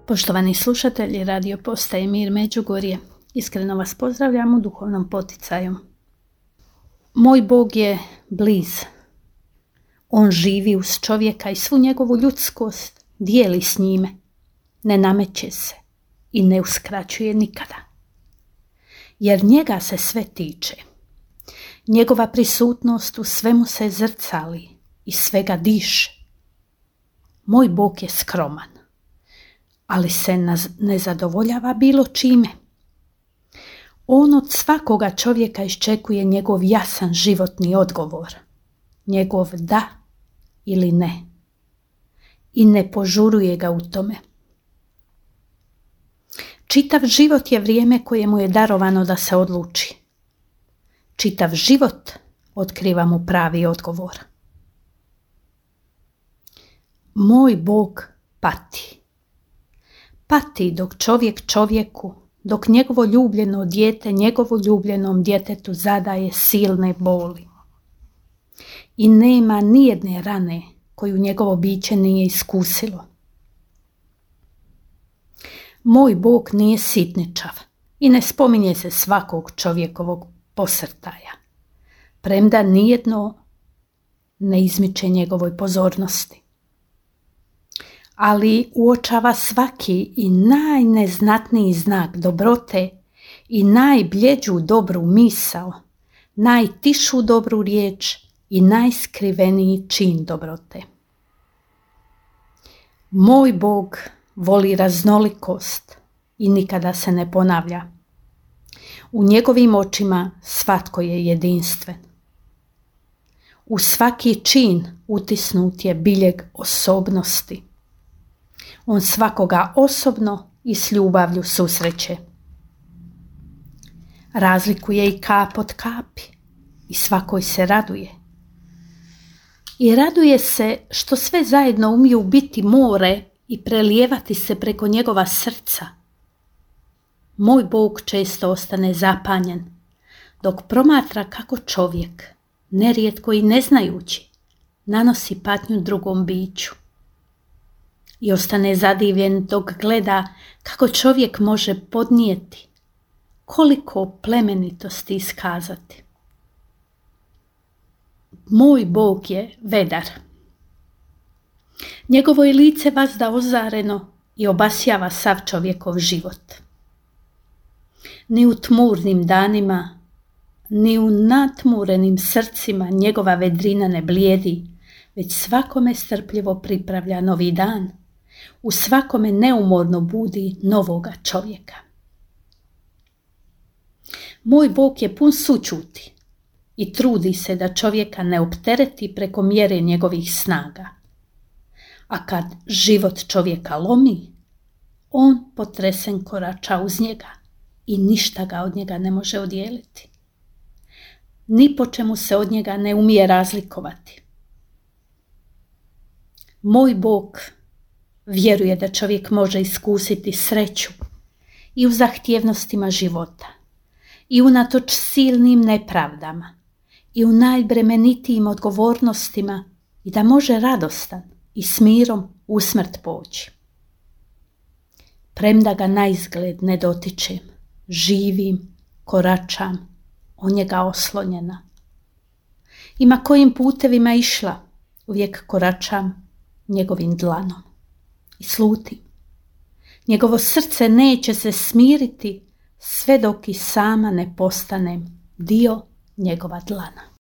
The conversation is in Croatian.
Poštovani slušatelji Radio Postaje Mir Međugorje, iskreno vas pozdravljam u duhovnom poticaju. Moj Bog je bliz. On živi uz čovjeka i svu njegovu ljudskost dijeli s njime. Ne nameće se i ne uskraćuje nikada. Jer njega se sve tiče. Njegova prisutnost u svemu se zrcali i svega diše. Moj Bog je skroman, ali se ne zadovoljava bilo čime. On od svakoga čovjeka iščekuje njegov jasan životni odgovor, njegov da ili ne, i ne požuruje ga u tome. Čitav život je vrijeme koje mu je darovano da se odluči. Čitav život otkriva mu pravi odgovor. Moj Bog pati. Pati dok čovjek čovjeku, dok njegovo ljubljeno dijete njegovu ljubljenom djetetu zadaje silne boli. I nema nijedne rane koju njegovo biće nije iskusilo. Moj Bog nije sitničav i ne spominje se svakog čovjekovog posrtaja, premda nijedno ne izmiče njegovoj pozornosti. Ali uočava svaki i najneznatniji znak dobrote i najbljeđu dobru misao, najtišu dobru riječ i najskriveniji čin dobrote. Moj Bog voli raznolikost i nikada se ne ponavlja. U njegovim očima svatko je jedinstven. U svaki čin utisnut je biljeg osobnosti. On svakoga osobno i s ljubavlju susreće. Razlikuje i kap od kapi i svakoj se raduje. I raduje se što sve zajedno umiju biti more i prelijevati se preko njegova srca. Moj Bog često ostane zapanjen, dok promatra kako čovjek, nerijetko i ne znajući, nanosi patnju drugom biću. I ostane zadivljen dok gleda kako čovjek može podnijeti, koliko plemenitosti iskazati. Moj Bog je vedar. Njegovo je lice vazda ozareno i obasjava sav čovjekov život. Ni u tmurnim danima, ni u natmurenim srcima njegova vedrina ne blijedi, već svakome strpljivo pripravlja novi dan. U svakome neumorno budi novoga čovjeka. Moj Bog je pun sućuti i trudi se da čovjeka ne optereti preko mjere njegovih snaga. A kad život čovjeka lomi, on potresen korača uz njega i ništa ga od njega ne može odijeliti. Ni po čemu se od njega ne umije razlikovati. Moj Bog vjeruje da čovjek može iskusiti sreću i u zahtjevnostima života, i unatoč silnim nepravdama, i u najbremenitijim odgovornostima, i da može radostan i s mirom u smrt poći. Premda ga naizgled ne dotičem, živim, koračam, o njega oslonjena. I ma kojim putevima išla, uvijek koračam njegovim dlanom i slutim. Njegovo srce neće se smiriti sve dok i sama ne postanem dio njegova dlana.